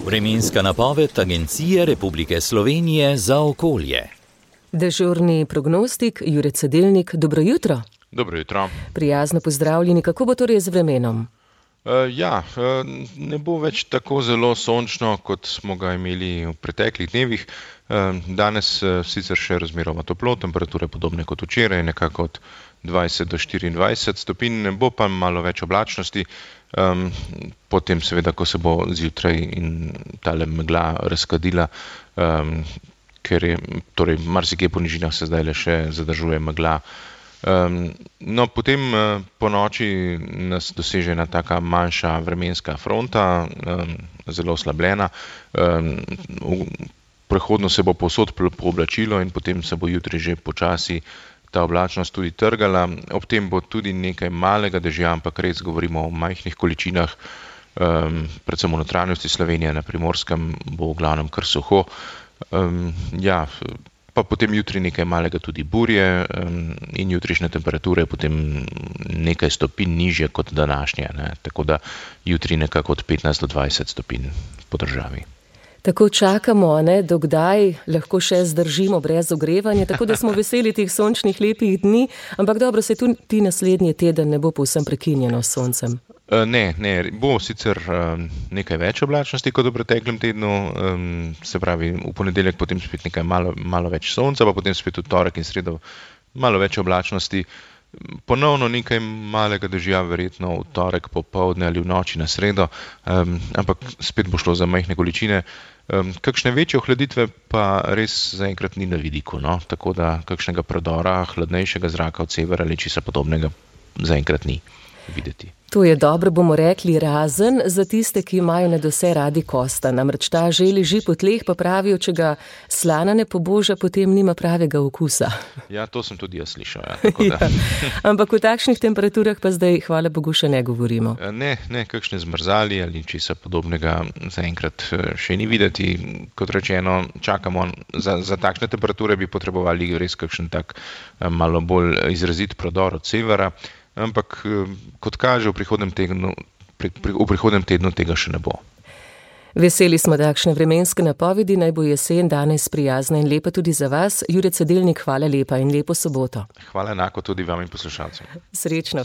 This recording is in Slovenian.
Vremenska napoved Agencije Republike Slovenije za okolje. Dežurni prognostik Jure Cedelnik, dobro jutro. Dobro jutro. Prijazno pozdravljeni, kako bo torej z vremenom? Ne bo več tako zelo sončno, kot smo ga imeli v preteklih dnevih. Danes sicer še razmeroma toplo, temperature podobne kot včeraj, nekako od 20 do 24 stopinj, ne bo pa malo več oblačnosti. Potem seveda, ko se bo zjutraj in tale megla razkadila, ker je torej marsikje po nižinah se zdaj le še zadržuje megla. Potem po noči nas doseže ena taka manjša vremenska fronta, zelo oslabljena. Prehodno se bo povsod pooblačilo in potem se bo jutri že počasi ta oblačnost tudi trgala. Ob tem bo tudi nekaj malega dežja, ampak res govorimo o majhnih količinah, predvsem v notranjosti Slovenije, na Primorskem bo v glavnem kar suho. Pa potem jutri nekaj malega tudi burje in jutrišnje temperature potem nekaj stopinj nižje kot današnje, ne? Tako da jutri nekako od 15 do 20 stopinj po državi. Tako čakamo, ne, dokdaj lahko še zdržimo brez ogrevanja, tako da smo veseli teh sončnih lepih dni, ampak dobro, se tudi naslednji teden ne bo povsem prekinjeno s soncem. Ne, bo sicer nekaj več oblačnosti kot v preteklem tednu, se pravi v ponedeljek potem spet nekaj malo več sonca, pa potem spet v torek in sredo malo več oblačnosti. Ponovno nekaj malega dežja, verjetno v torek popoldne ali v noči na sredo, ampak spet bo šlo za majhne količine. Kakšne večje ohladitve pa res zaenkrat ni na vidiku, no? Tako da kakšnega predora hladnejšega zraka od severa ali česa podobnega zaenkrat ni videti. To je dobro, bomo rekli, razen za tiste, ki imajo nadvse radi kosta. Namreč ta že leži po tleh, pa pravijo, če ga slana ne poboža, potem nima pravega okusa. Ja, to sem tudi jaz slišal. Ampak v takšnih temperaturah pa zdaj, hvala Bogu, še ne govorimo. Ne, kakšne zmrzali ali česa podobnega zaenkrat še ni videti. Kot rečeno, čakamo, za takšne temperature bi potrebovali res kakšen tak malo bolj izrazit prodor od severa. Ampak kot kaže, v prihodnem tednu tega še ne bo. Veseli smo takšne vremenske napovedi, naj bo jesen danes prijazna in lepa tudi za vas. Jure Cedelnik, hvala lepa in lepo soboto. Hvala enako tudi vam in poslušalcem. Srečno.